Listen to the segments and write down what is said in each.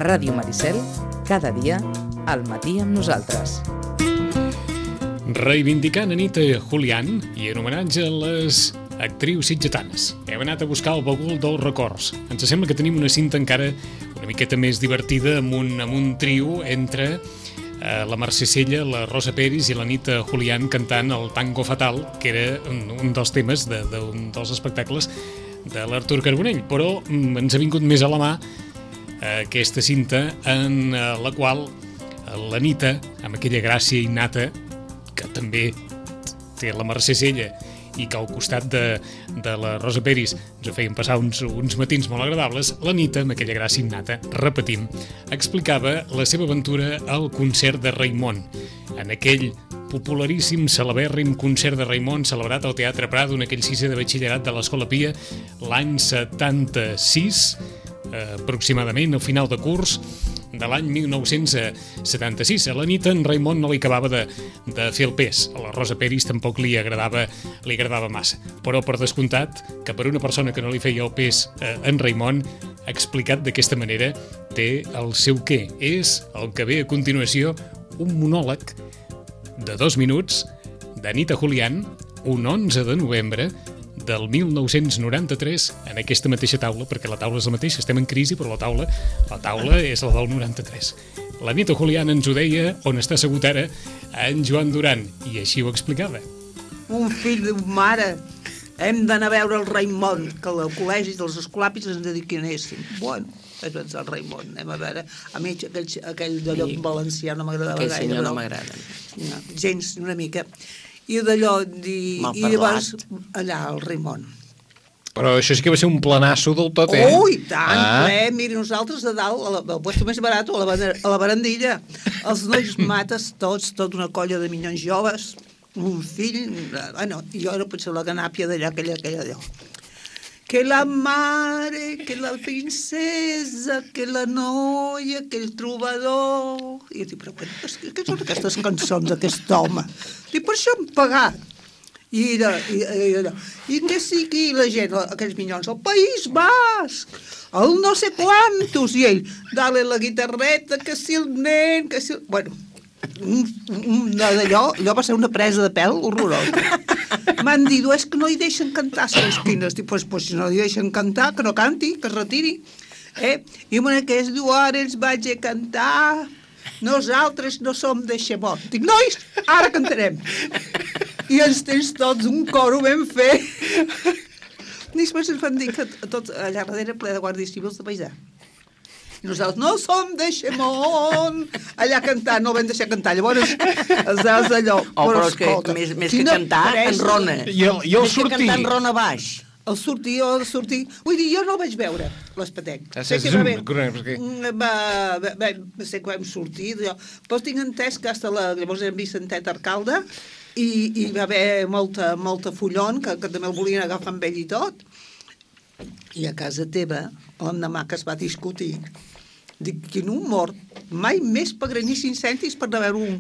Ràdio Maricel, cada dia, al matí amb nosaltres. Reivindicant Anita Julián i en homenatge a les actrius sitgetanes. Hem anat a buscar el bagul dels records. Ens sembla que tenim una cinta encara una miqueta més divertida amb un trio entre la Mercè Sella, la Rosa Peris i l'Anita Julián cantant el Tango Fatal, que era un dels temes d'un dels espectacles de l'Artur Carbonell. Però ens ha vingut més a la mà aquesta cinta en la qual l'Anita, amb aquella gràcia innata que també té la Mercè Sella i que al costat de la Rosa Peris ens ho feien passar uns matins molt agradables, l'Anita, amb aquella gràcia innata, repetim, explicava la seva aventura al concert de Raimon, en aquell popularíssim, celebèrrim concert de Raimon celebrat al Teatre Prado en aquell sisè de batxillerat de l'Escola Pia l'any 76, aproximadament al final de curs de l'any 1976. A l'Anita en Raimon no li acabava de fer el pes. A la Rosa Peris tampoc li agradava massa. Però per descomptat que per una persona que no li feia el pes en Raimon, explicat d'aquesta manera, té el seu què. És el que ve a continuació, un monòleg de 2 minuts d'Anita Julián, un 11 de novembre del 1993, en aquesta mateixa taula, perquè la taula és la mateixa, estem en crisi, però la taula és la del 93. L'Anita Julián ens ho deia, on està assegut ara, en Joan Duran, i així ho explicava. Un fill d'un mare, hem d'anar a veure el Raimon, que al col·legi dels escolapis ens dediquinéssim. Bueno, és el Raimon, anem a veure. A mi aquell d'allò valencià no m'agradava gaire. Aquell senyor no m'agrada. No, gens, una mica. I d'allò, i llavors allà al Raimon. Però això sí que va ser un planasso del tot, Oh, i tant, miri, nosaltres a dalt, al puesto més barat, a la barandilla, els nois mates tots, tota una colla de minyons joves, un fill, i jo era potser la ganàpia d'allà, aquella d'allò. Que la mare, que la princesa, que la noia, que el trobador... I jo dic, però què són aquestes cançons d'aquest home? Dic, per això hem pagat. I que sigui la gent, aquells minyons, el País Basc, el no sé quantos, i ell, dale la guitarreta, que si el nen, que si... Bueno, allò va ser una presa de pèl horrorosa. M'han dit, és que no hi deixen cantar, segons quines. Dic, pues si no hi deixen cantar, que no canti, que es retiri. I una que es diu, ara ens vaig a cantar, nosaltres no som de Xemot. Dic, nois, ara cantarem. I ens tens tots un coro ben fet. I després ens van dir que tot allà darrere ple de guàrdies civils de paisà. I nosaltres no som de Xemont, allà cantant, no el vam deixar cantar. Llavors, allò... Però és que més que cantar, enrona. I el sortir. Més que cantar, enrona baix. El sortir... Vull dir, jo no el vaig veure, l'Espetenc. Sé que vam sortir, però tinc entès que llavors era Vicentet alcalde i va haver molta follon, que també el volien agafar amb ell i tot. I a casa teva, l'endemà que es va discutir, dic, quin humor, mai més pagaré ni 5 cèntims per anar a veure un...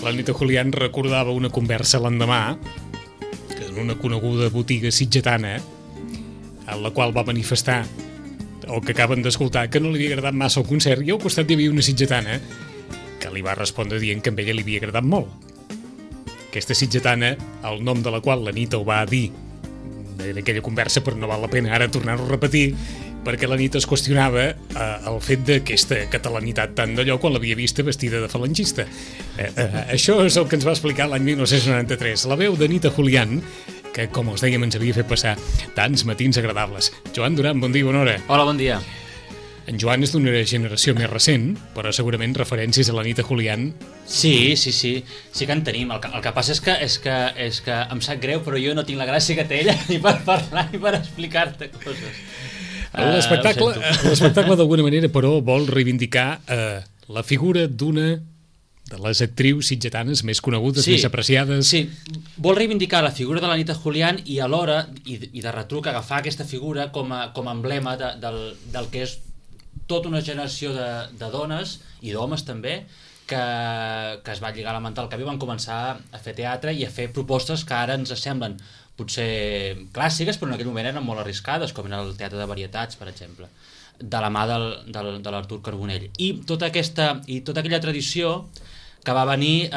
L'Anita Julián recordava una conversa l'endemà en una coneguda botiga sitgetana en la qual va manifestar o que acaben d'escoltar que no li havia agradat massa el concert i al costat hi havia una sitgetana que li va respondre dient que a ella li havia agradat molt. Aquesta sitgetana, el nom de la qual l'Anita ho va dir en aquella conversa, però no val la pena ara tornar-ho a repetir, perquè l'Anita es qüestionava el fet d'aquesta catalanitat tant d'allò quan l'havia vista vestida de falangista. Això és el que ens va explicar l'any 1993. La veu d'Anita Julián, que, com els dèiem, ens havia fet passar tants matins agradables. Joan Duran, bon dia, bona hora. Hola, bon dia. En Joan és d'una generació més recent, però segurament referències a l'Anita Julián... Sí que en tenim. El que passa és que em sap greu, però jo no tinc la gràcia que té ella ni per parlar ni per explicar-te coses. L'espectacle d'alguna manera, però, vol reivindicar la figura d'una de les actrius sitgetanes més conegudes, més apreciades. Sí, vol reivindicar la figura de l'Anita Julián i alhora, i de retruc, agafar aquesta figura com a emblema del que és tota una generació de dones i d'homes també que es va lligar la manta al cap i van començar a fer teatre i a fer propostes que ara ens semblen potser clàssiques, però en aquell moment eren molt arriscades, com era el teatre de varietats, per exemple, de la mà de l'Artur Carbonell. I tota aquella tradició que va venir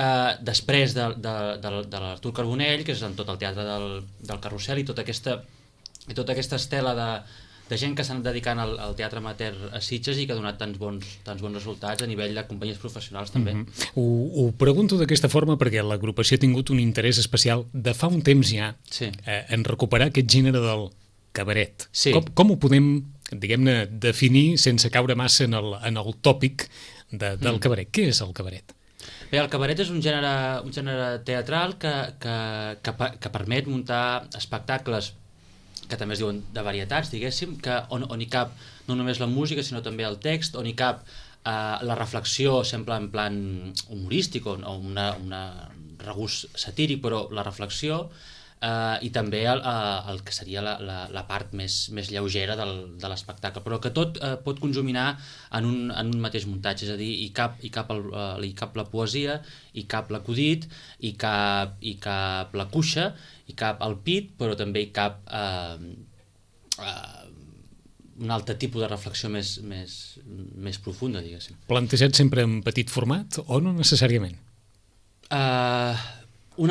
després de l'Artur Carbonell, que és en tot el teatre del Carrusel, i tota aquesta estela de gent que s'ha anat dedicant al teatre amateur a Sitges i que ha donat tants bons resultats a nivell de companyies professionals també. Ho pregunto d'aquesta forma perquè l'agrupació ha tingut un interès especial de fa un temps ja en recuperar aquest gènere del cabaret. Sí. Com ho podem, diguem-ne, definir sense caure massa en el tòpic del cabaret? Què és el cabaret? Bé, el cabaret és un gènere teatral que permet muntar espectacles que també es diuen de varietats, diguéssim, on hi cap no només la música, sinó també el text, on hi cap la reflexió sempre en plan humorístic o un regust satíric, però la reflexió i també el que seria la part més lleugera de l'espectacle, però que tot pot conjuminar en un mateix muntatge, és a dir, hi cap la poesia, hi cap l'acudit, hi cap la cuixa, hi cap el pit, però també hi cap un altre tipus de reflexió més profunda, diguéssim. Plantejat sempre en petit format o no necessàriament? Un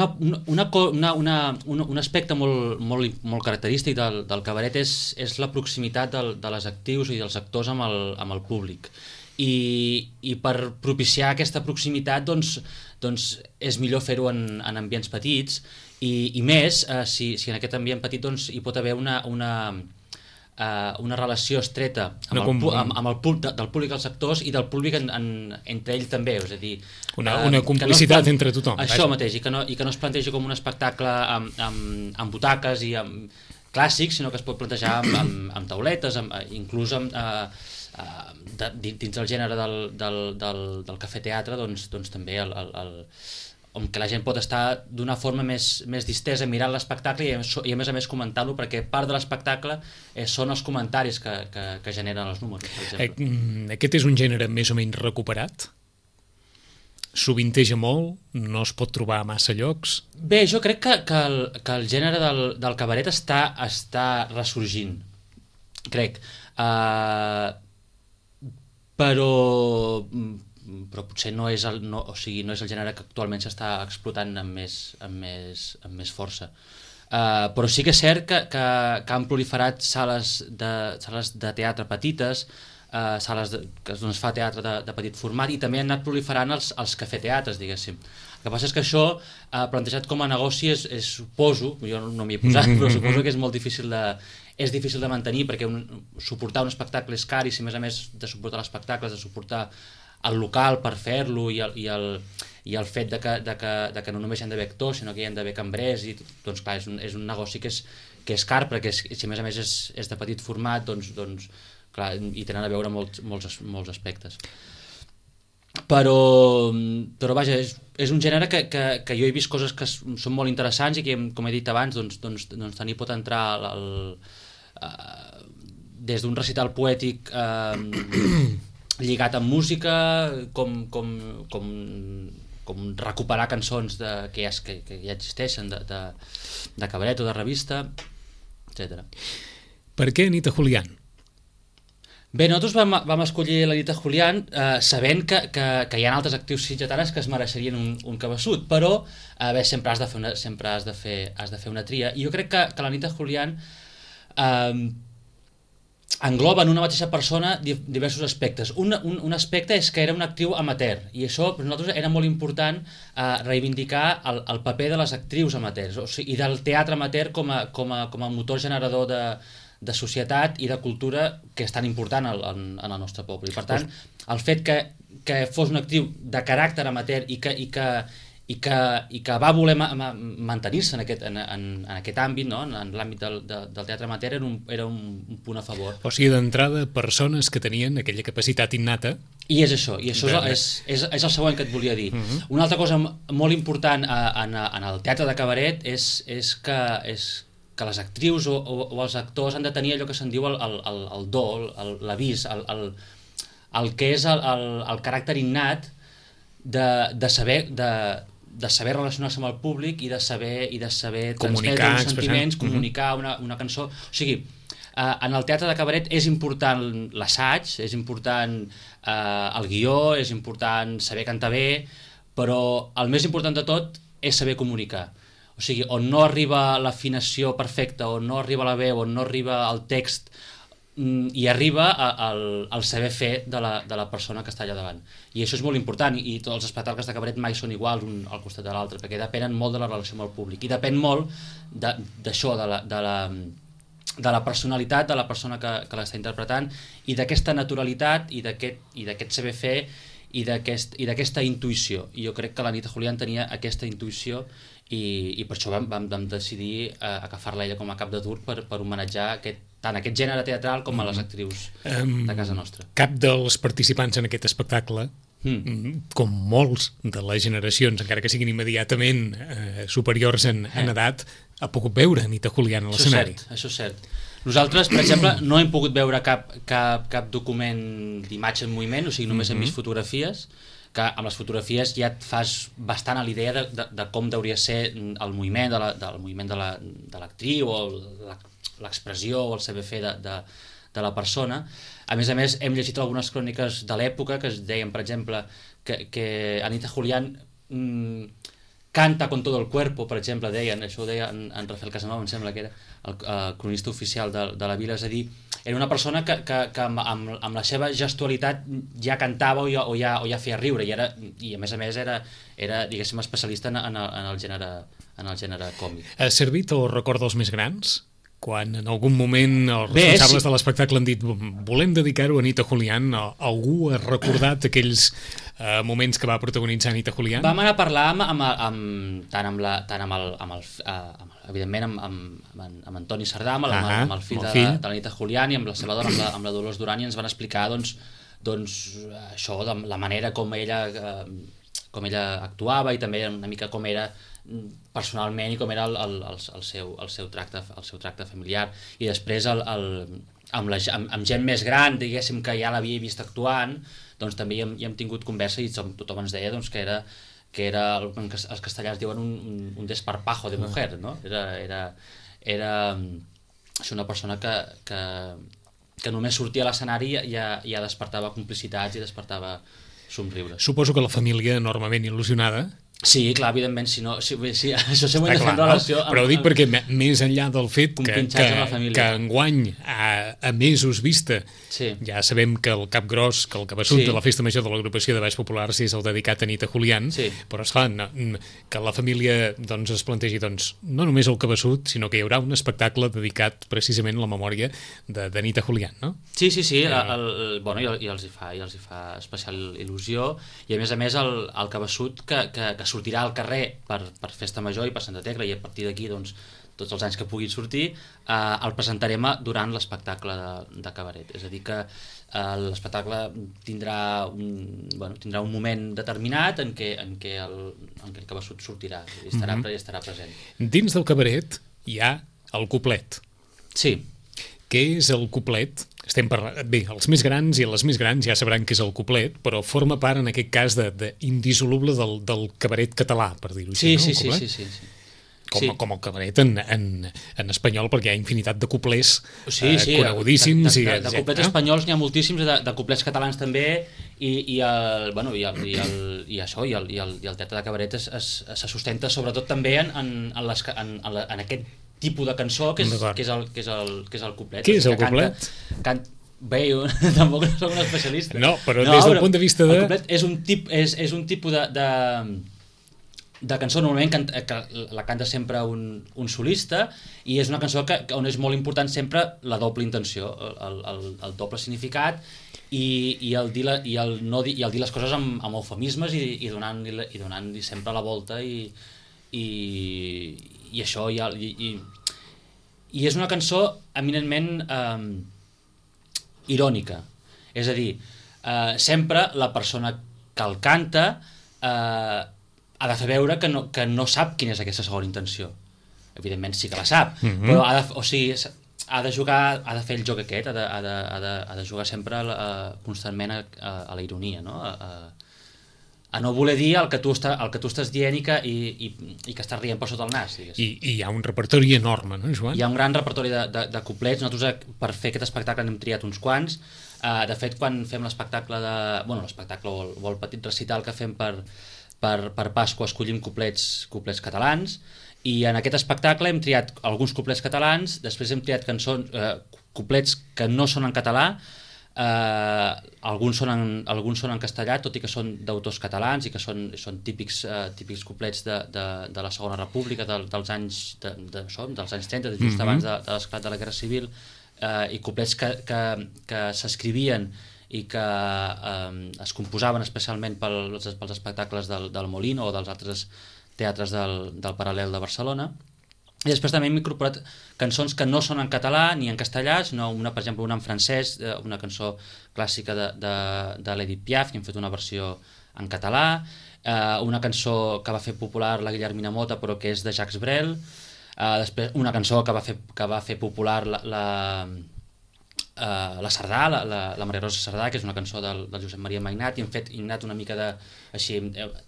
aspecte molt característic del cabaret és la proximitat de les actrius i dels actors amb el públic. I per propiciar aquesta proximitat doncs és millor fer-ho en ambients petits i més si en aquest ambient petit doncs, hi pot haver una relació estreta del públic als actors i del públic entre ells també, és a dir, una complicitat entre tothom. Això mateix, i que no es plantegi com un espectacle amb butaques i amb clàssics, sinó que es pot plantejar amb tauletes, inclús dins del gènere del cafè-teatre, doncs també on que la gent pot estar d'una forma més distesa mirant l'espectacle i a més comentar-lo, perquè part de l'espectacle són els comentaris que generen els números, per exemple. Aquest és un gènere més o menys recuperat? Sovinteja molt? No es pot trobar a massa llocs? Bé, jo crec que el gènere del cabaret està ressorgint, crec. Però potser no és el gènere que actualment s'està explotant amb més força. Però sí que és cert que han proliferat sales de teatre petites, sales que es fa teatre de petit format, i també han anat proliferant els cafè-teatres, diguéssim. El que passa és que això, plantejat com a negoci, suposo, jo no m'hi he posat, però suposo que és molt difícil de mantenir, perquè suportar un espectacle és car, i si a més de suportar l'espectacle has de suportar el local per fer-lo i el fet de que no només hi ha d'haver actors, sinó que hi ha d'haver cambrers, i doncs clar, és un negoci que és car, perquè si a més és de petit format, doncs clar, hi tenen a veure molts aspectes. Però vaja, és un gènere que jo he vist coses que són molt interessants i que, com he dit abans, doncs tant hi pot entrar des d'un recital poètic lligat amb música, com recuperar cançons que ja existeixen de cabaret o de revista, etc. Per què Anita Julián? Bé, nosaltres vam escollir l'Anita Julián sabent que hi ha altres actrius sitgetanes que es mereixerien un cabeçut, però sempre has de fer una tria, i jo crec que l'Anita Julián engloba en una mateixa persona diversos aspectes. Un aspecte és que era una actriu amateur, i això per nosaltres era molt important reivindicar el paper de les actrius amateurs, i del teatre amateur com a motor generador de societat i de cultura que és tan important en el nostre poble. I per tant, el fet que fos una actriu de caràcter amateur i que va voler mantenir-se en aquest àmbit, no? En l'àmbit del teatre amateur, era un punt a favor. O sigui, d'entrada, persones que tenien aquella capacitat innata. I és això, és el següent que et volia dir. Una altra cosa molt important en el teatre de cabaret és que les actrius o els actors han de tenir allò que se'n diu el do, l'avís, el que és el caràcter innat de saber relacionar-se amb el públic i de saber comunicar, transmetre uns sentiments, comunicar una cançó. O sigui, en el teatre de cabaret és important l'assaig, és important el guió, és important saber cantar bé, però el més important de tot és saber comunicar. O sigui, on no arriba l'afinació perfecta, on no arriba la veu, on no arriba el text, i arriba al saber fer de la persona que està allà davant. I això és molt important, i tots els espectacles de cabaret mai són iguals un al costat de l'altre, perquè depenen molt de la relació amb el públic, i depèn molt d'això, de la personalitat de la persona que l'està interpretant, i d'aquesta naturalitat, i d'aquest saber fer, i d'aquesta intuïció. I jo crec que l'Anita Julián tenia aquesta intuïció, i per això vam decidir agafar-la ella com a cap de turc per homenatjar tant aquest gènere teatral com a les actrius de casa nostra. Cap dels participants en aquest espectacle, com molts de les generacions, encara que siguin immediatament superiors en edat, ha pogut veure Anita Julián a l'escenari. Això és cert. Nosaltres, per exemple, no hem pogut veure cap document d'imatge en moviment, o sigui, només hem vist fotografies, que amb les fotografies ja et fas bastant a l'idea de com hauria de ser el moviment de l'actriu, o l'expressió o el saber fer de la persona. A més, hem llegit algunes cròniques de l'època que es deien, per exemple, que Anita Julián canta con todo el cuerpo, per exemple, deien, això ho deia en Rafael Casanova, em sembla que era el cronista oficial de la vila, és a dir, era una persona que amb la seva gestualitat ja cantava o ja feia riure, i a més era diguéssim, especialista en el gènere còmic. Ha servit o recorda els més grans? Quan en algun moment els responsables de l'espectacle han dit volem dedicar-ho a Anita Julián, algú ha recordat aquells moments que va protagonitzar Anita Julián? Vam anar a parlar evidentment amb Antoni Sardà, amb el fill de l'Anita Julián, i amb la seva dona, amb la Dolors Duran, i ens van explicar això, la manera com ella actuava, i també una mica com era personalment i com era el seu tracte familiar. I després amb gent més gran, diguéssim, que ja l'havia vist actuant, doncs també hi hem tingut conversa, i tothom ens deia que era els castellans diuen un desparpajo de mujer, no? Era una persona que només sortia a l'escenari i ja despertava complicitats i despertava somriure. Suposo que la família enormement il·lusionada. Sí, clar, evidentment, això sempre ho hem de fer en relació... Però ho dic perquè més enllà del fet que enguany, a mesos vista, ja sabem que el cap gros, que el cabeçut de la festa major de l'agrupació de Baix Populars és el dedicat a Anita Julián, però esclar, que la família es plantegi no només el cabeçut, sinó que hi haurà un espectacle dedicat precisament a la memòria d'Anita Julián, no? Sí, i els hi fa especial il·lusió, i a més el cabeçut que sortirà al carrer per Festa Major i per Santa Tecla, i a partir d'aquí tots els anys que puguin sortir el presentarem durant l'espectacle de cabaret. És a dir que l'espectacle tindrà un moment determinat en què el cabeçut sortirà i estarà present. Dins del cabaret hi ha el cuplet. Sí. Què és el cuplet? Estem parlant... Bé, els més grans i les més grans ja sabran què és el cuplet, però forma part, en aquest cas, indissoluble del cabaret català, per dir-ho així, no? Sí. Com el cabaret en espanyol, perquè hi ha infinitat de cuplers conegudíssims. De cuplets espanyols n'hi ha moltíssims, de cuplets catalans també, i el teatre de cabaret se sustenta sobretot també en aquest tipus de cançó que és el cuplet. Què és el cuplet? Bé, jo tampoc no soc un especialista. No, però des del punt de vista de... El cuplet és un tipus de cançó, normalment que la canta sempre un solista, i és una cançó on és molt important sempre la doble intenció, el doble significat, i el dir les coses amb eufemismes i donant-li sempre la volta, i això i és una cançó eminentment irònica, és a dir, sempre la persona que el canta ha de fer veure que no sap quina és aquesta segona intenció. Evidentment sí que la sap, però ha de fer el joc aquest, ha de jugar sempre constantment a la ironia, no? a no voler dir el que tu estàs dient i que estàs rient per sota el nas, digues. I hi ha un repertori enorme, no, Joan? Hi ha un gran repertori de couplets. Nosaltres per fer aquest espectacle n'hem triat uns quants. De fet, quan fem l'espectacle l'espectacle o el petit recital que fem per Pasqua escollim couplets catalans, i en aquest espectacle hem triat alguns couplets catalans, després hem triat couplets que no són en català, alguns són en castellà, tot i que són d'autors catalans i que són típics couplets de la Segona República, dels anys 30, just abans de l'esclat de la Guerra Civil, i couplets que s'escrivien i que es composaven especialment pels espectacles del Molino o dels altres teatres del Paral·lel de Barcelona. I després també hem incorporat cançons que no són en català ni en castellà, sinó per exemple una en francès, una cançó clàssica de l'Edith Piaf, i hem fet una versió en català, una cançó que va fer popular la Guillermina Motta però que és de Jacques Brel, després una cançó que va fer popular la Sardà, la Maria Rosa Sardà, que és una cançó del Josep Maria Mainat, i hem anat una mica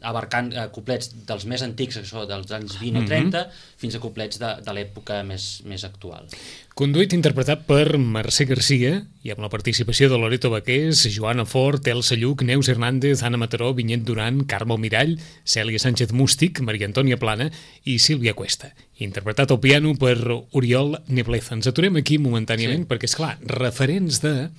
abarcant couplets dels més antics, que són dels anys 20 o 30, fins a couplets de l'època més actual. Conduït i interpretat per Mercè Garcia, i amb la participació de Loreto Baqués, Joana Fort, Elsa Lluc, Neus Hernández, Anna Mataró, Vinyet Duran, Carme Almirall, Cèlia Sánchez Mústic, Maria Antònia Plana i Sílvia Cuesta. Interpretat al piano per Oriol Nebleza. Ens aturem aquí momentàniament perquè, esclar, referents de...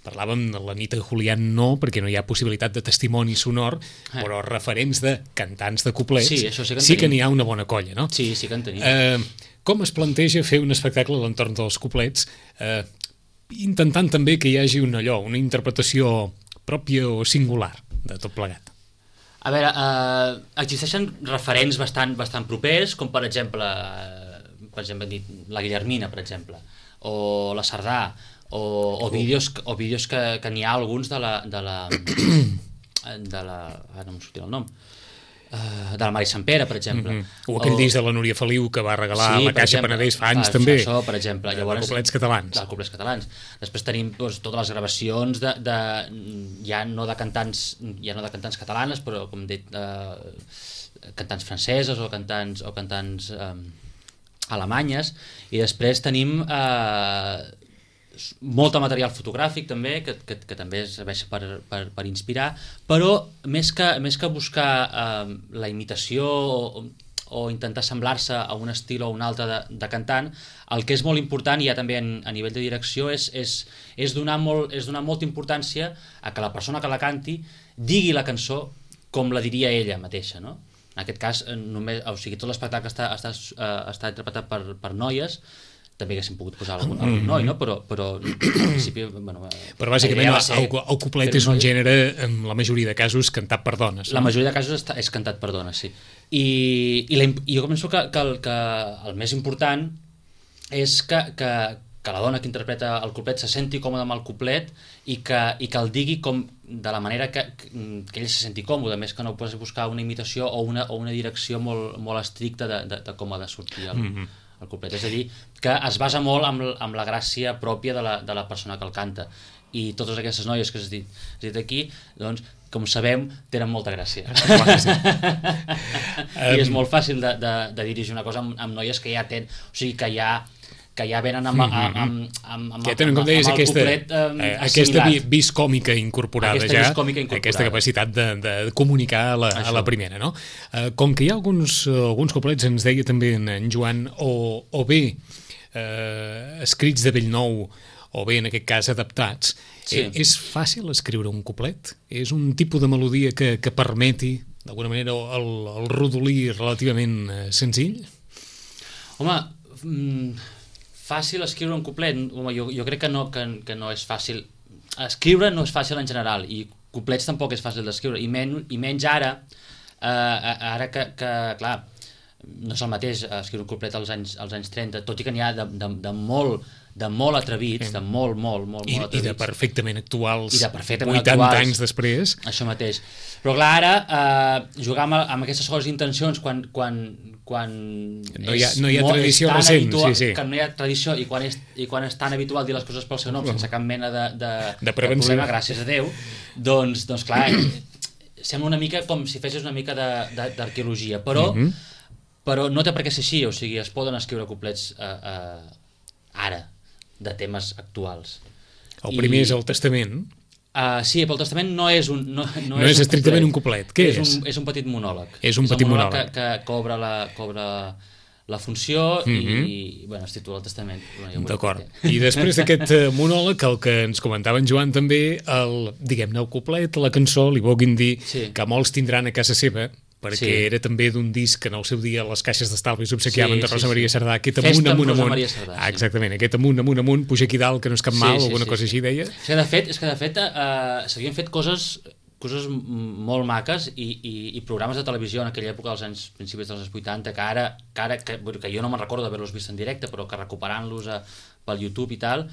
Parlàvem de l'Anita Julián, no, perquè no hi ha possibilitat de testimoni sonor, però referents de cantants de couplets sí que n'hi ha una bona colla, no? Sí que en tenim. Com es planteja fer un espectacle a l'entorn dels couplets, intentant també que hi hagi una interpretació pròpia o singular de tot plegat? A veure, existeixen referents bastant propers, com per exemple la Guillermina, per exemple, o la Sardà, o vídeos que n'hi ha alguns de la ara no em sortirà el nom, de la Mari Sampere, per exemple. O aquell disc de la Núria Feliu que va regalar la Caixa Penedès fa anys, també. Això, per exemple. De couplets catalans. De couplets catalans. Després tenim totes les gravacions ja no de cantants catalanes, però, com he dit, cantants franceses o cantants alemanyes, i després tenim molt material fotogràfic també, que també serveix per inspirar, però més que buscar la imitació o intentar semblar-se a un estil o un altre de cantant, el que és molt important, i ja també a nivell de direcció, és donar molta importància a que la persona que la canti digui la cançó com la diria ella mateixa, no? En aquest cas, tot l'espectacle està interpretat per noies. També haguéssim pogut posar algun noi, no? Però en principi... Però bàsicament el couplet és un gènere, en la majoria de casos, cantat per dones. La majoria de casos és cantat per dones, sí. I jo penso que el més important és que la dona que interpreta el couplet se senti còmode amb el couplet i que el digui de la manera que ell se senti còmode, més que no pots buscar una imitació o una direcció molt estricta de com ha de sortir el couplet. És a dir, que es basa molt amb la gràcia pròpia de la persona que el canta. I totes aquestes noies que has dit aquí, doncs, com sabem, tenen molta gràcia. I és molt fàcil de dirigir una cosa amb noies que ja tenen... O sigui, que ja venen amb ja tenen, com deies, aquesta vis còmica incorporada ja, aquesta capacitat de comunicar a la primera, no? Com que hi ha alguns couplets, ens deia també en Joan, o bé escrits de bell nou, o bé, en aquest cas, adaptats. És fàcil escriure un couplet? És un tipus de melodia que permeti, d'alguna manera, el rodolí relativament senzill? Home, fàcil escriure un couplet? Home, jo crec que no és fàcil. Escriure no és fàcil en general, i couplets tampoc és fàcil d'escriure, i menys ara que, clar, no és el mateix escriure un couplet als anys 30, tot i que n'hi ha de molt atrevits, de molt atrevits. I de perfectament actuals, 80 anys després. Això mateix. Però clar, ara, jugar amb aquestes segones intencions, quan no hi ha tradició recent, que no hi ha tradició, i quan és tan habitual dir les coses pel seu nom, sense cap mena de prevenció, problema, gràcies a Déu, doncs clar, sembla una mica com si fessis una mica d'arqueologia, però no té per què ser així, o sigui, es poden escriure couplets ara, de temes actuals. El primer és el Testament. Sí, però el Testament no és no és estrictament un couplet. Què és? És un petit monòleg. És un petit monòleg. Que cobra la funció i bueno, es titula el Testament. D'acord. I després d'aquest monòleg, el que ens comentava en Joan també, diguem-ne, el couplet, la cançó, li vulguin dir que molts tindran a casa seva, perquè era també d'un disc que en el seu dia les caixes d'estalvis obsequiaven de Rosa Maria Sardà, aquest amunt, exactament, aquest amunt, puja aquí dalt, que no és cap mal, alguna cosa així deia. És que de fet s'havien fet coses molt maques i programes de televisió en aquella època dels principis dels anys 80 que jo no me'n recordo d'haver-los vist en directe, però que recuperant-los pel YouTube i tal,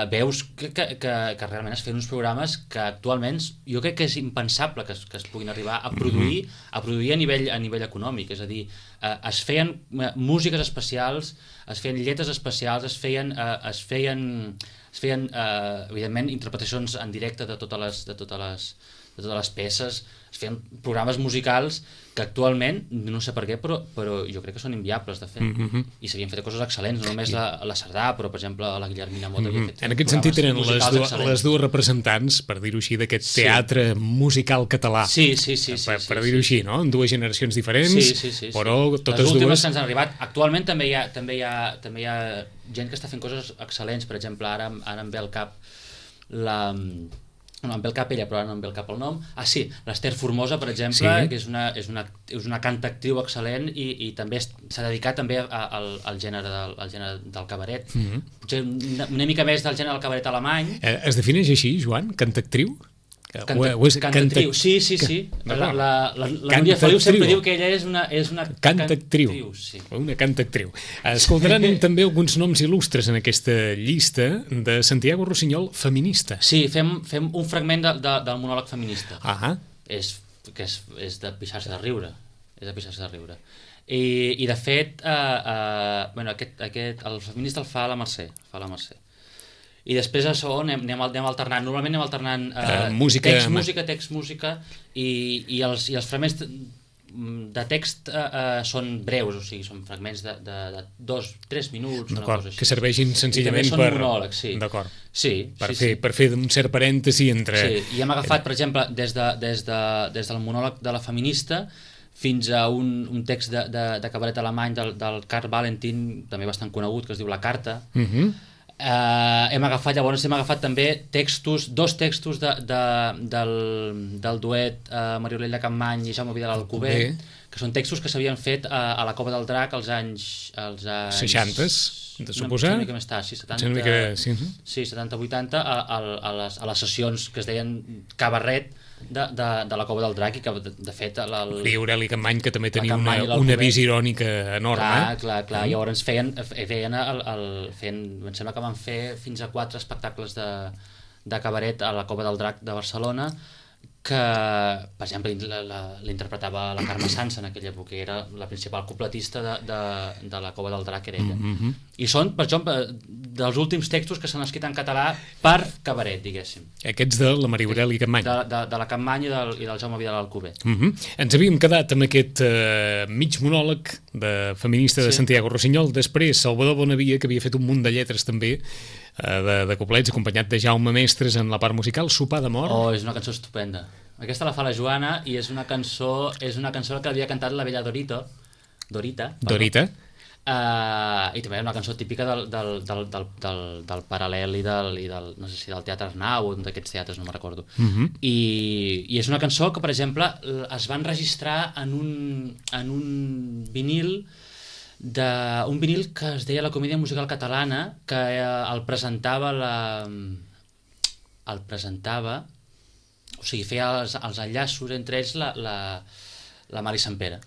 veus que realment es feien uns programes que actualment jo crec que és impensable que es puguin arribar a produir a nivell econòmic, és a dir, es feien músiques especials, es feien lletres especials, es feien evidentment interpretacions en directe de totes les peces, es feien programes musicals que actualment, no sé per què, però jo crec que són inviables de fer. I s'havien fet coses excel·lents, no només la Sardà, però per exemple la Guillermina Mota havia fet. En aquest sentit eren les dues representants, per dir-ho així, d'aquest teatre musical català. Sí. Per dir-ho així, no? En dues generacions diferents, però totes dues... Les últimes que ens han arribat. Actualment també hi ha gent que està fent coses excel·lents, per exemple, ara em ve al cap no em ve el cap ella, però ara no em ve el cap el nom. L'Ester Formosa, per exemple, que és una cantactriu excel·lent i també s'ha dedicat també al gènere del cabaret. Potser una mica més del gènere del cabaret alemany. Es defineix així, Joan? Cantactriu? Cantactriu, sí. La Núria Feliu sempre diu que ella és una cantactriu. Una cantactriu. Escoltaran també alguns noms il·lustres en aquesta llista de Santiago Rossinyol feminista. Sí, fem un fragment del monòleg feminista. És de pixar-se de riure. I de fet, el feminista el fa la Mercè. I després a segon anem alternant. Normalment anem alternant text, música i els fragments de text són breus, o sigui, són fragments de 2-3 minuts, una cosa així. Que serveixin senzillament per... monòlegs, sí. D'acord. Sí. Per fer un cert parèntesi entre... Sí, i hem agafat, per exemple, des del monòleg de la feminista fins a un text de cabaret alemany del Karl Valentin, també bastant conegut, que es diu La Carta. Hem agafat també dos textos del duet Maria de Campmany i Jaume Vidal Alcover, que són textos que s'havien fet a la Cova del Drac als anys 60, de suposar? Una mica més tard, 70-80, a les sessions que es deien Cabaret de la Cova del Drac, i que de fet i Aureli Campmany, que també tenia una visió irònica enorme. Clar, llavors feien em sembla que van fer fins a 4 espectacles de cabaret a la Cova del Drac de Barcelona, que per exemple l'interpretava la Carme Sansa en aquella època, era la principal cupletista de la Cova del Drac, era ella. I són, per exemple, dels últims textos que s'han escrit en català per cabaret, diguéssim. Aquests de la Maria Aureli Campmany. De la Campmany i del Jaume Vidal Alcover. Ens havíem quedat amb aquest mig monòleg feminista de Santiago Rossinyol. Després Salvador Bonavia, que havia fet un munt de lletres també de couplets, acompanyat de Jaume Mestres en la part musical, Sopar d'amor. És una cançó estupenda. Aquesta la fa la Joana i és una cançó que havia cantat la bella Dorita. I també una cançó típica del Paral·lel i del no sé si del Teatre Arnau o d'aquests teatres, no me'n recordo. I és una cançó que, per exemple, es va enregistrar en un vinil que es deia la Comèdia Musical Catalana, que el presentava o sigui, feia els enllaços entre ells la Mari Sampere.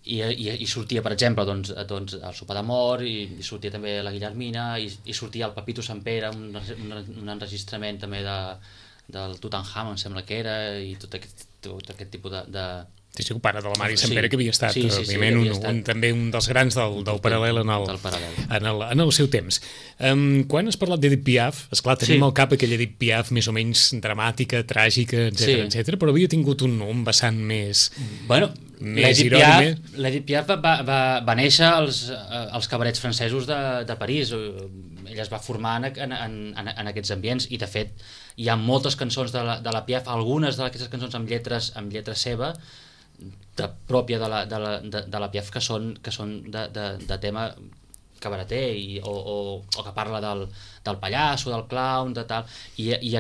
I sortia, per exemple, el Sopar d'amor, i sortia també la Guillermina, i sortia el Papito Sampere, un enregistrament també del Tutankamon, em sembla que era, i tot aquest tipus Sí, el pare de la Mari Sí. Sempere, que havia estat, Sí, òbviament, havia estat. també un dels grans del paral·lel Del paral·lel. en el seu temps. Quan has parlat d'Edith Piaf, esclar, tenim Sí. al cap aquella Edith Piaf més o menys dramàtica, tràgica, etc Sí. etc, però havia tingut un vessant més... Bueno, Més l'Edith Piaf va néixer als cabarets francesos de París. Ella es va formar en aquests ambients i, de fet, hi ha moltes cançons de la Piaf, algunes d'aquestes cançons amb lletra seva, pròpia de la Piaf, que són de tema cabareter o que parla del pallasso, del clown, de tal, i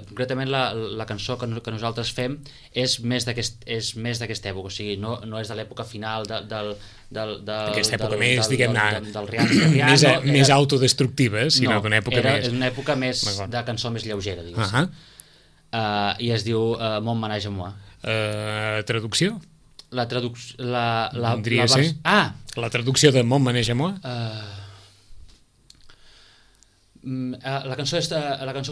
concretament la cançó que nosaltres fem és més d'aquesta època, o sigui, no és de l'època final Aquesta època més, diguem-ne, del Rihanna, més autodestructiva, sinó d'una època més... és una època més de cançó més lleugera, diguéssim. I es diu Mon Manège a Moi. Traducció? La traducció... La traducció de Mon Manège a Moi? La cançó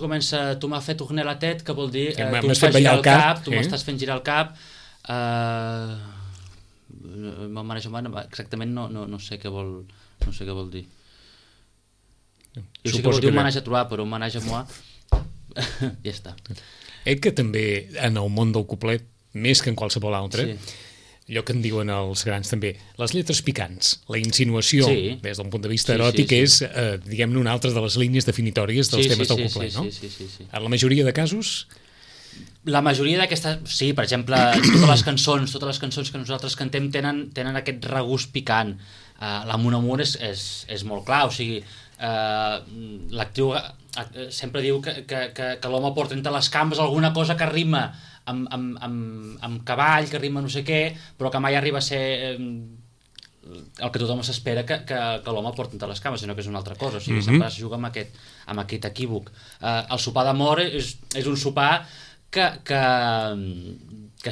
comença Tu m'has fet tourner la tête, que vol dir tu m'has m'has fet fet girar ballar el el cap, cap, tu m'estàs fent girar el cap. Mon Manège a Moi, exactament no sé què vol dir. Jo sé que vol dir un manège a trobar, però un manège a Moi ja està. Que també en el món del couplet, més que en qualsevol altre, Sí. allò que en diuen els grans també, les lletres picants, la insinuació, Sí. des d'un punt de vista Sí, eròtic, sí. és, diguem-ne, una altra de les línies definitòries dels temes del couplet, no? Sí. En la majoria de casos, La majoria d'aquestes... Sí, per exemple, totes les cançons que nosaltres cantem tenen aquest regust picant. La Mon Amour és molt clar, o sigui, l'actriu sempre diu que l'home porta entre les cames alguna cosa que rima amb cavall, que rima no sé què, però que mai arriba a ser el que tothom s'espera que l'home porta entre les cames, sinó que és una altra cosa. O sigui, sempre es juga amb aquest equívoc. El sopar d'amor és un sopar que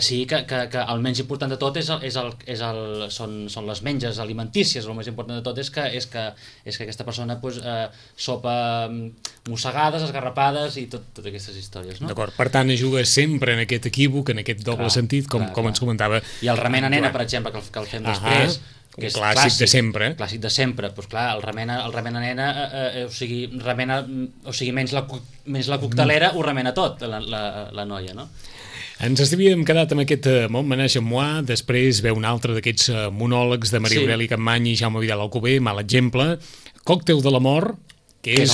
sí, que el menys important de tot són les menges alimentícies. El més important de tot és que aquesta persona sopa mossegades, esgarrapades i totes aquestes històries, no? d'acord, per tant, es juga sempre en aquest equívoc, en aquest doble sentit, com ens comentava. I el remena nena, per exemple, que el fem després, que és clàssic de sempre. Clàssic de sempre, doncs clar, el remena nena, o sigui, menys la coctelera, ho remena tot, la noia, no? Ens havíem quedat amb aquest Mon Manège a Moi, després ve un altre d'aquests monòlegs de Maria Aurèlia Capmany i Jaume Vidal Alcover, mal exemple, Còctel de l'amor, que és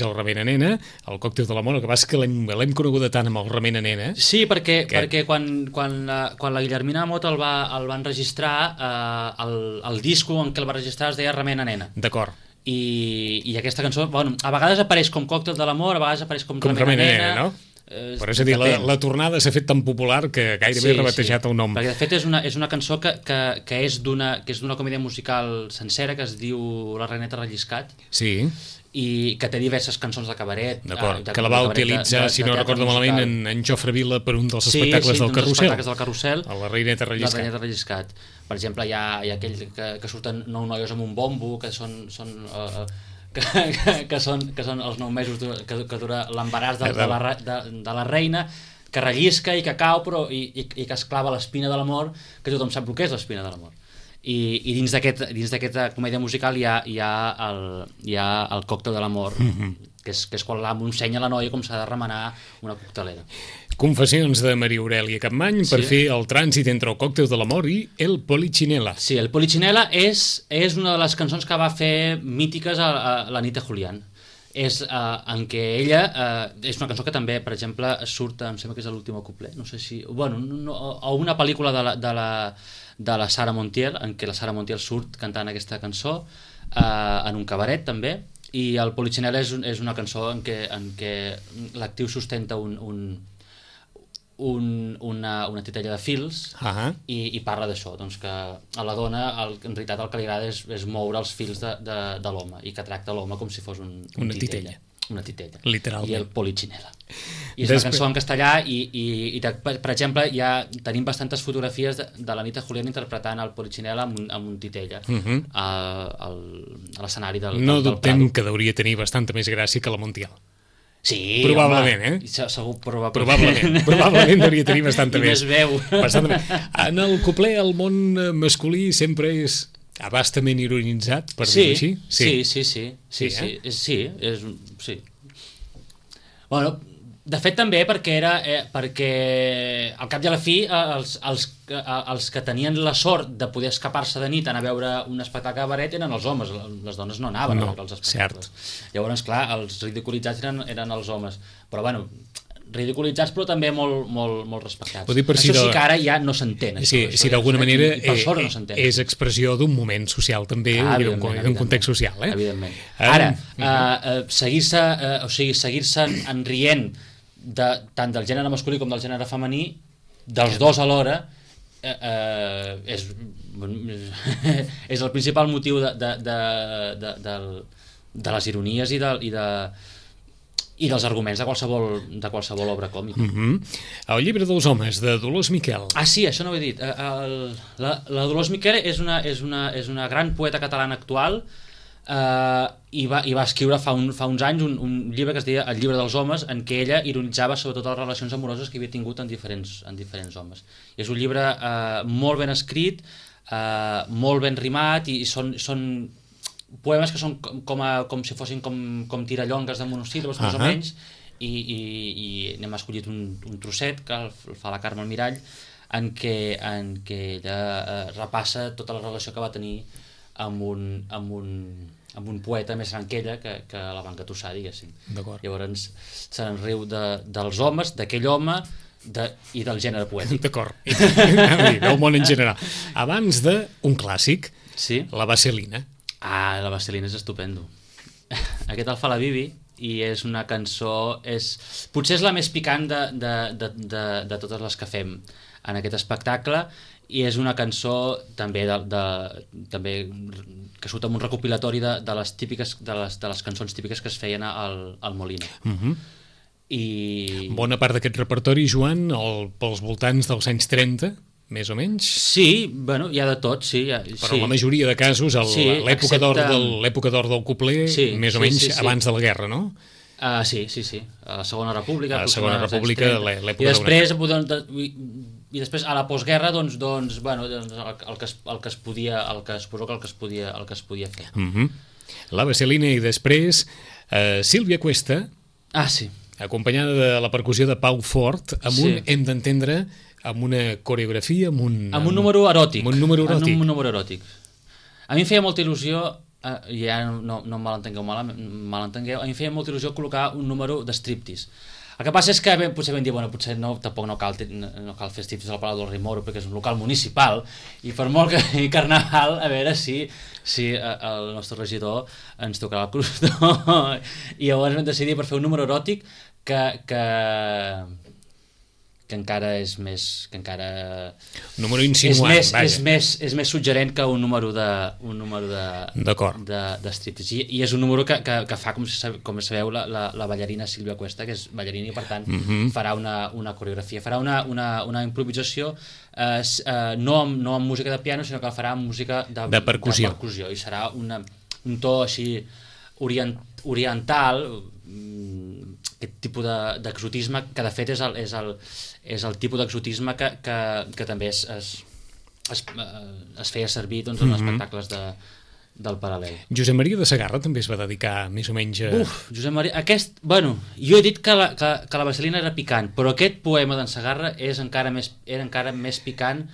el remena nena, el Còctel de l'amor, el que passa que l'hem coneguda tant amb el remena nena. Sí, perquè quan la Guillermina Mot el va enregistrar, el disco en què el va registrar es deia Remena nena. D'acord. I aquesta cançó, bueno, a vegades apareix com Còctel de l'amor, a vegades apareix com Remena nena, no? Però és a dir, la tornada s'ha fet tan popular que gairebé ha rebatejat el nom. Perquè de fet és una cançó que és d'una comèdia musical sencera que es diu La Reneta Relliscat. Sí. I que té diverses cançons de cabaret. D'acord, que la va utilitzar, si no recordo malament, en Jofre Vila per un dels espectacles del Carrusel. A La Reineta Relliscat. La Reineta Relliscat. Per exemple, hi ha aquell que surten 9 noies amb un bombo, que són els 9 mesos que dura l'embaràs de la reina, que rellisca i que cau i que es clava l'espina de l'amor, que tothom sap el que és l'espina de l'amor. I dins d'aquesta comèdia musical hi ha el Còctel de l'amor, que és quan l'amo ensenya a la noia com s'ha de remenar una coctelera. Confessions de Maria Aurèlia Capmany per fer el trànsit entre el Còctel de l'amor i el Polichinela. Sí, el Polichinela és una de les cançons que va fer mítiques a la nit de Julián. En què ella és una cançó que també, per exemple, surt, em sembla que és l'últim couplet, no sé si... Bueno, o una pel·lícula de la Sara Montiel, en què la Sara Montiel surt cantant aquesta cançó, en un cabaret també, i el Polichinela és una cançó en què l'actriu sustenta una titella de fils i parla d'això, doncs que a la dona en realitat el que li agrada és moure els fils de l'home i que tracta l'home com si fos una titella. Una titella. Literalment. I el Polichinela. I és una cançó en castellà i per exemple, tenim bastantes fotografies de la nit de Julián interpretant el Polichinela amb un titella a l'escenari del Prado. No dubtem que hauria tenir bastanta més gràcia que la Montiel. Sí, probablement, home, segur, probablement devia tenir bastanta I més veu. Bastanta més. En el couplet el món masculí sempre és abastament ironitzat, per dir-ho així. Sí. Bueno, de fet també perquè al cap i a la fi els que tenien la sort de poder escapar-se de nit anar a veure un espectacle de baret eren els homes, les dones no anaven a veure els espectacles. Llavors, clar, els ridiculitzats eren els homes, però bueno, ridiculitzats però també molt respectats. Això sí que ara ja no s'entén. Sí, d'alguna manera és expressió d'un moment social també, d'un context social. Evidentment. Ara, seguir-se enrient tant del gènere masculí com del gènere femení, dels dos alhora, és el principal motiu de les ironies i dels arguments de qualsevol obra còmica. El llibre dels homes, de Dolors Miquel. Ah, sí, això no ho he dit. La Dolors Miquel és una gran poeta catalana actual, i va escriure fa uns anys un llibre que es deia El llibre dels homes, en què ella ironitzava sobretot les relacions amoroses que havia tingut en diferents homes. I és un llibre molt ben escrit, molt ben rimat, i són poemes que són com si fossin com tirallongues de monosíl·labes, més o menys, i n'hem escollit un trosset que el fa la Carme Almirall, en què ella repassa tota la relació que va tenir amb un poeta més gran que ella, que la va engatussar, diguéssim. Llavors se'n riu dels homes, d'aquell home i del gènere poètic. D'acord, del món en general. Abans d'un clàssic, la Vaselina. Ah, la Vaselina és estupendo. Aquest el fa la Bibi i és una cançó, potser és la més picant de totes les que fem en aquest espectacle, i és una cançó també que surt amb un recopilatori de les cançons típiques que es feien al Molino. I bona part d'aquest repertori, Joan, pels voltants dels anys 30, més o menys? Sí, bueno, hi ha de tot, sí. Però en la majoria de casos, l'època d'or del couplet, més o menys abans de la guerra, no? Sí. A la Segona República. A la Segona República, l'època I després, a la postguerra, el que es podia fer. La Vaselina i després Sílvia Cuesta, acompanyada de la percussió de Pau Fort, hem d'entendre, amb una coreografia, amb un número eròtic. Amb un número eròtic. A mi em feia molta il·lusió, ja no em malentengueu, a mi em feia molta il·lusió col·locar un número de striptease. El que passa és que potser vam dir, potser tampoc no cal fer striptease al Palau del Rei Moro perquè és un local municipal, i per molt que hi Carnaval, a veure si el nostre regidor ens tocarà el crostó. I llavors vam decidir per fer un número eròtic que encara és més... número insinuant, és més suggerent que un número de striptease. I és un número que fa, com sabeu, la ballarina Sílvia Cuesta, que és ballarina i, per tant, farà una coreografia. Farà una improvisació no amb música de piano, sinó que la farà amb música de percussió. I serà un to així oriental, aquest tipus d'exotisme, que de fet és el tipus d'exotisme que també es feia servir en espectacles del Paral·lel. Josep Maria de Segarra també es va dedicar més o menys a... Josep Maria, jo he dit que la Vaselina era picant, però aquest poema d'en Segarra era encara més picant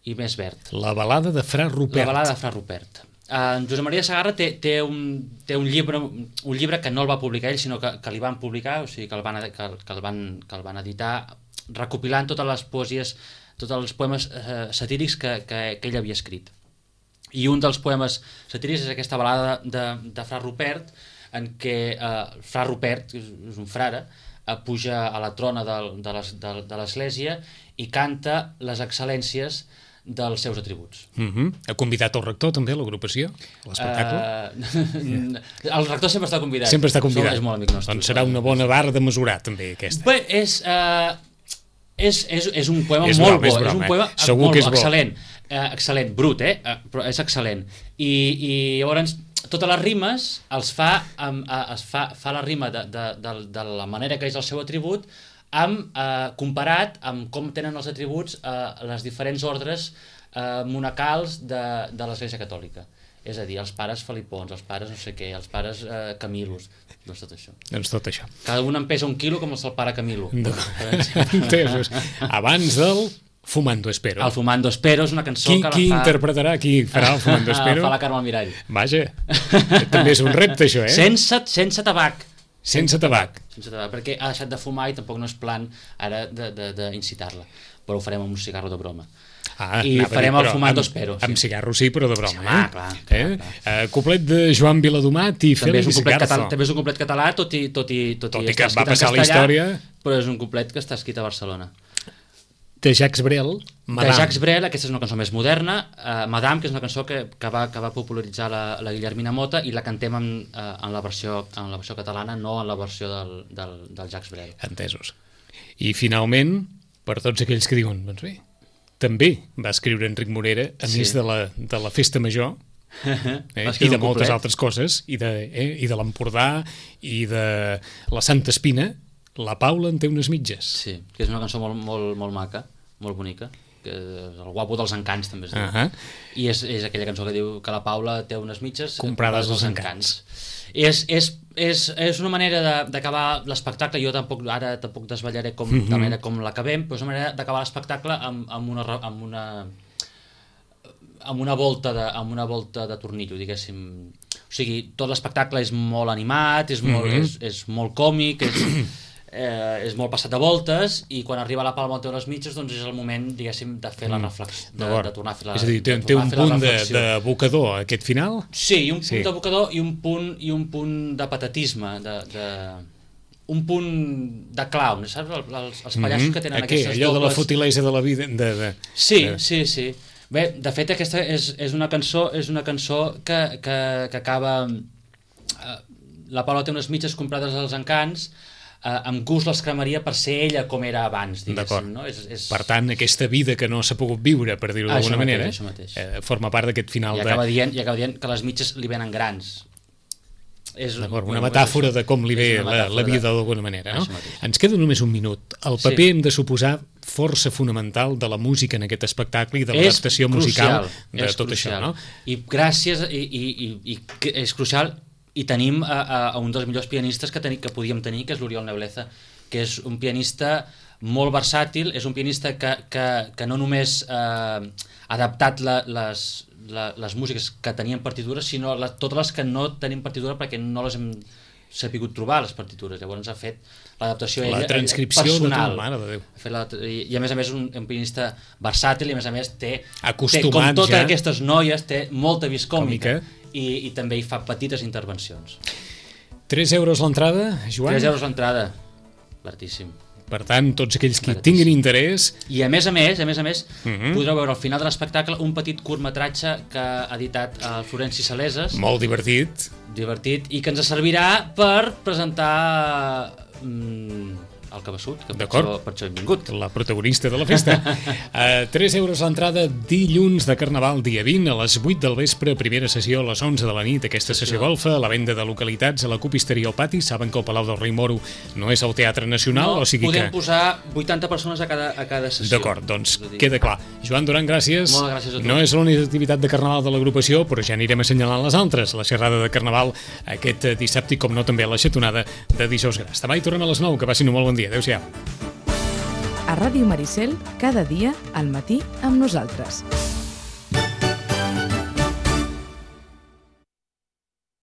i més verd. La balada de Fra Rupert. En Josep Maria Segarra té un llibre que no el va publicar ell, sinó que li van publicar, o sigui que el van editar, recopilant totes les poesies, tots els poemes satírics que ell havia escrit. I un dels poemes satírics és aquesta balada de Fra Rupert, en què Fra Rupert, que és un frare, puja a la trona de l'església i canta les excel·lències dels seus atributs. Ha convidat el rector també a l'agrupació, a l'espectacle? El rector sempre està convidat. Sempre està convidat. És molt amic nostre. Doncs serà una bona vara de mesurar també aquesta. Bé, és un poema molt bo, és un poema molt excel·lent, brut, però és excel·lent. I llavors totes les rimes es fa la rima de la manera que és el seu atribut comparat amb com tenen els atributs les diferents ordres monacals de l'Església Catòlica. És a dir, els pares Felipons, els pares no sé què, els pares Camilos, doncs tot això. Doncs tot això. Cada un en pesa 1 quilo com el pare Camilo. Entesos. Abans del Fumando Espero. El Fumando Espero és una cançó que la fa... Qui interpretarà, qui farà el Fumando Espero? Fa la Carme Almirall. Vaja, també és un repte això, Sense tabac. Sense tabac. Sense tabac, perquè ha deixat de fumar i tampoc no és plan ara d'incitar-la. Però ho farem amb un cigarro de broma. I farem el Fumando Espero. Amb cigarro sí, però de broma. Sí, clar. Cuplet de Joan Viladomat i Félix Garzo. També és un cuplet català, tot i que va passar la història. Però és un cuplet que està escrit a Barcelona. De Jacques Brel, Madame. De Jacques Brel, aquesta és una cançó més moderna, Madame, que és una cançó que va popularitzar la Guillermina Mota i la cantem en la versió catalana, no en la versió del Jacques Brel. Entesos. I finalment, per tots aquells que diuen, doncs bé, també va escriure Enric Morera, a més de la Festa Major, i de moltes altres coses, i de l'Empordà, i de la Santa Espina, La Paula en té unes mitges. Sí, que és una cançó molt maca, molt bonica, que és el guapo dels encants, també es diu. I és aquella cançó que diu que la Paula té unes mitges comprades als encants. És una manera d'acabar l'espectacle, jo tampoc desvetllaré de la manera com l'acabem, però és una manera d'acabar l'espectacle amb una volta de tornillo, diguéssim. O sigui, tot l'espectacle és molt animat, és molt còmic, és molt passat de voltes, i quan arriba la Palma té unes mitges, doncs és el moment, diguéssim, de fer la reflexió, de tornar a fer la reflexió. És a dir, té un punt d'abocador aquest final? Sí, un punt d'abocador i un punt de patatisme, un punt de clown, saps? Els pallassos que tenen aquestes dobles... Allò de la futilesa de la vida... Sí. Bé, de fet, aquesta és una cançó que acaba... La Paula té unes mitges comprades als encants, amb gust les cremaria per ser ella com era abans, diguéssim. No? Per tant, aquesta vida que no s'ha pogut viure, per dir-ho d'alguna manera, forma part d'aquest final. I acaba dient que les mitges li venen grans. Una metàfora de com li ve la vida d'alguna manera. Ens queda només un minut. El paper hem de suposar força fonamental de la música en aquest espectacle i de l'adaptació musical de tot això. I gràcies, i és crucial, i tenim a un dels millors pianistes que podíem tenir, que és l'Oriol Nebleza, que és un pianista molt versàtil, és un pianista que no només ha adaptat les músiques que tenien partitures, sinó totes les que no tenim partitura perquè no les hem sapigut trobar, les partitures. Llavors ha fet l'adaptació la transcripció personal. De mare de Déu. I a més un pianista versàtil, i a més té acostumat com totes ja. Aquestes noies, té molta vis còmica. I també hi fa petites intervencions. 3 euros l'entrada, Joan? 3 euros l'entrada, baratíssim. Per tant, tots aquells que tinguin interès... I a més, podreu veure al final de l'espectacle un petit curtmetratge que ha editat el Florenci Saleses. Molt divertit. I que ens servirà per presentar... el Cabeçut, que per això hem vingut. La protagonista de la festa. 3 euros l'entrada, dilluns de Carnaval, dia 20, a les 8 del vespre, primera sessió a les 11 de la nit, aquesta sessió golfa, a la venda de localitats, a la copisteria al pati. Saben que el Palau del Rei Moro no és el Teatre Nacional, o sigui podem posar 80 persones a cada sessió. D'acord, doncs queda clar. Joan Duran, gràcies. Moltes gràcies a tu. No és l'única activitat de Carnaval de l'agrupació, però ja anirem assenyalant les altres. La xerrada de Carnaval aquest dissabte i, com no, també la xatonada de dijous gras. Demà hi tornem a les 9, que passin un molt bon dia. Adéu-siau. A Ràdio Maricel, cada dia al matí amb nosaltres.